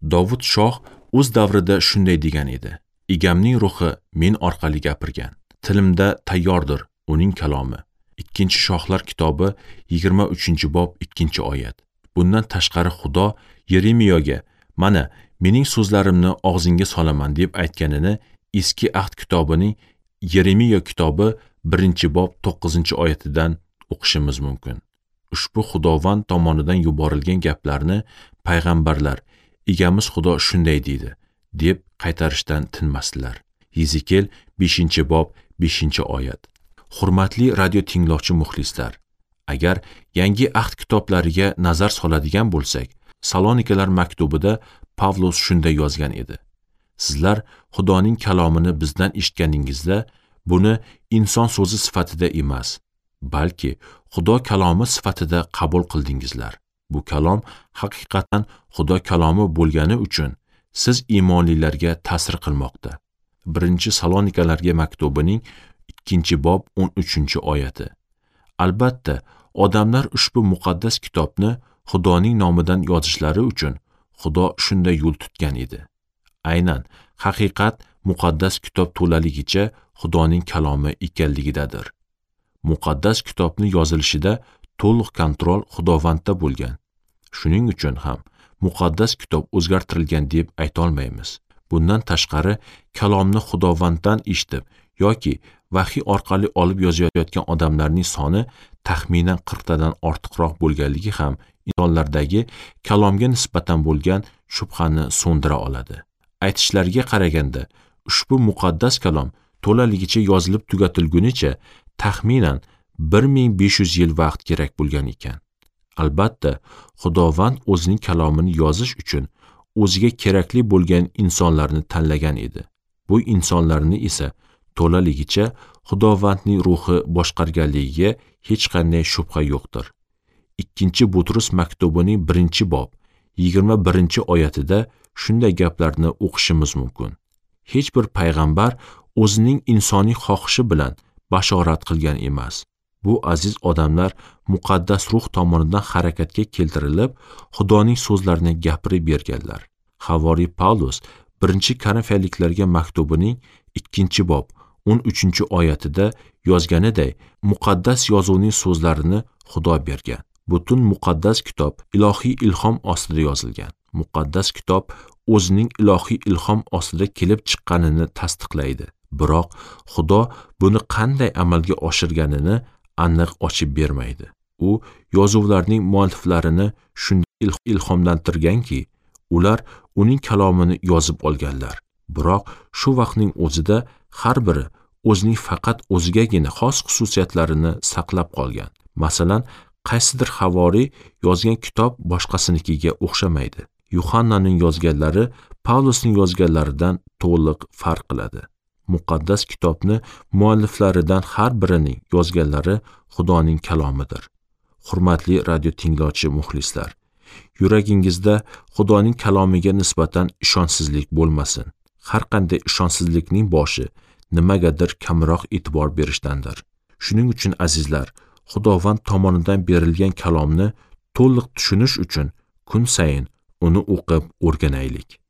Dovud shoh o'z davrida shunday degan edi: Egamning ruhi men orqali gapirgan. Tilimda tayyordir uning kalomi. 2-Shohlar kitobi 23-bob 2-oyat. Bundan tashqari Xudo Yeremiyoga: "Mana, mening so'zlarimni og'zingga solaman" deb aytganini Eski Ahd kitobining Yeremiyo kitobi 1-bob 9-oyatidan o'qishimiz mumkin. Ushbu Xudovand tomonidan yuborilgan gaplarni payg'ambarlar Egamiz Xudo shunday deydi deb qaytarishdan tinmasdilar. Yezekel 5-bob 5-oyat. Hurmatli radio tinglovchi muxlislar, agar Yangi Ahd kitoblariga nazar soladigan bo'lsak, Salonikalar maktubida Pavlos shunday yozgan edi: Sizlar Xudoning kalomini bizdan eshitganingizda, buni inson so'zi sifatida emas, balki Xudo kalomi sifatida qabul qildingizlar. Bu kalom haqiqatan Xudo kalomi bo'lgani uchun siz iymonlilarga ta'sir qilmoqda. 1-Salonikalarga maktubining 2-bob 13-oyati. Albatta, odamlar ushbu muqaddas kitobni Xudoning nomidan yozishlari uchun Xudo shunday yo'l tutgan edi. Aynan haqiqat muqaddas kitob to'laligicha Xudoning kalomi ekanligidadir. Muqaddas kitobni yozilishida to'liq kontrol Xudovandda bo'lgan. Shuning uchun ham muqaddas kitob o'zgartirilgan deb ayta olmaymiz. Bundan tashqari kalomni Xudovanddan eshitib yoki vahiy orqali olib yozayotgan odamlarning soni taxminan 40 tadan ortiqroq bo'lganligi ham insonlardagi kalomga nisbatan bo'lgan shubhani so'ndira oladi. Aytishlariga qaraganda, ushbu muqaddas kalom to'laligicha yozilib tugatilgunicha taxminan 1500 yil vaqt kerak bo'lgan ekan. Albatta, Xudovand o'zining kalomini yozish uchun o'ziga kerakli bo'lgan insonlarni tanlagan edi. Bu insonlarni esa to'laligicha Xudovandning ruhi boshqarganligiga hech qanday shubha yo'qdir. 2-Butrus maktubining 1-bob 21-oyatida shunday gaplarni o'qishimiz mumkin. Hech bir payg'ambar o'zining insoniy xohishi bilan bashorat qilgan emas. Bu aziz odamlar muqaddas ruh tomonidan harakatga keltirilib, Xudoning so'zlarini gapirib berganlar. Havoriy Pavlus 1-Korinfyaliklarga maktubining 2-bob 13-oyatida yozganiday, muqaddas yozuvning so'zlarini Xudo bergan. Butun muqaddas kitob ilohiy ilhom ostida yozilgan. Muqaddas kitob o'zining ilohiy ilhom ostida kelib chiqqanini tasdiqlaydi. Biroq Xudo buni qanday amalga oshirganini aniq ochib bermaydi. U yozuvlarning mualliflarini shunday ilhomlantirganki, ular uning kalomini yozib olganlar. Biroq shu vaqtning o'zida har biri o'zining faqat o'zigagina xos xususiyatlarini saqlab qolgan. Masalan, qaysidir havoriy yozgan kitob boshqasinikiga o'xshamaydi. Yuhannaning yozganlari Pavlosning yozganlaridan to'liq farq qiladi. Muqaddas kitobni mualliflaridan har birining yozganlari Xudoning kalomidir. Hurmatli radio tinglovchi muxlislar, yuragingizda Xudoning kalomiga nisbatan ishonchsizlik bo'lmasin. Har qanday ishonchsizlikning boshi nimagadir kamroq e'tibor berishdandir. Shuning uchun azizlar, Xudovand tomonidan berilgan kalomni to'liq tushunish uchun kun sayin uni o'qib o'rganaylik.